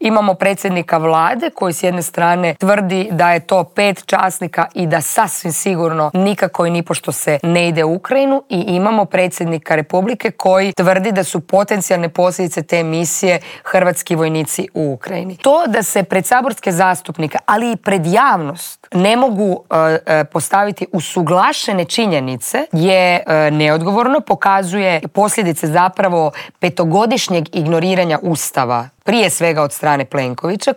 Imamo predsjednika vlade koji s jedne strane tvrdi da je to 5 časnika i da sasvim sigurno nikako i nipošto se ne ide u Ukrajinu, i imamo predsjednika Republike koji tvrdi da su potencijalne posljedice te misije hrvatski vojnici u Ukrajini. To da se pred saborske zastupnike, ali i pred javnost ne mogu postaviti usuglašene činjenice je neodgovorno, pokazuje posljedice zapravo 5-godišnjeg ignoriranja Ustava, prije svega od strane Plenkovića,